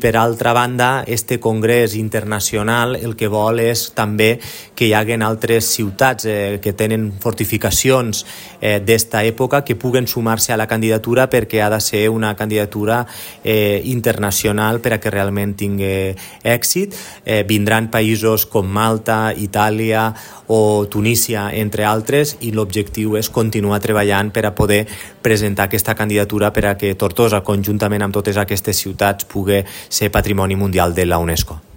Per altra banda, este congrés internacional el que vol és també que hi haguen altres ciutats que tenen fortificacions d'esta època que puguen sumar-se a la candidatura, perquè ha de ser una candidatura internacional per a que realment tingui èxit. Vindran països com Malta, Itàlia o Tunísia, entre altres, i l'objectiu és continuar treballant per a poder presentar aquesta candidatura per a que Tortosa, conjuntament amb totes aquestes ciutats, pugui ser Patrimoni Mundial de la UNESCO.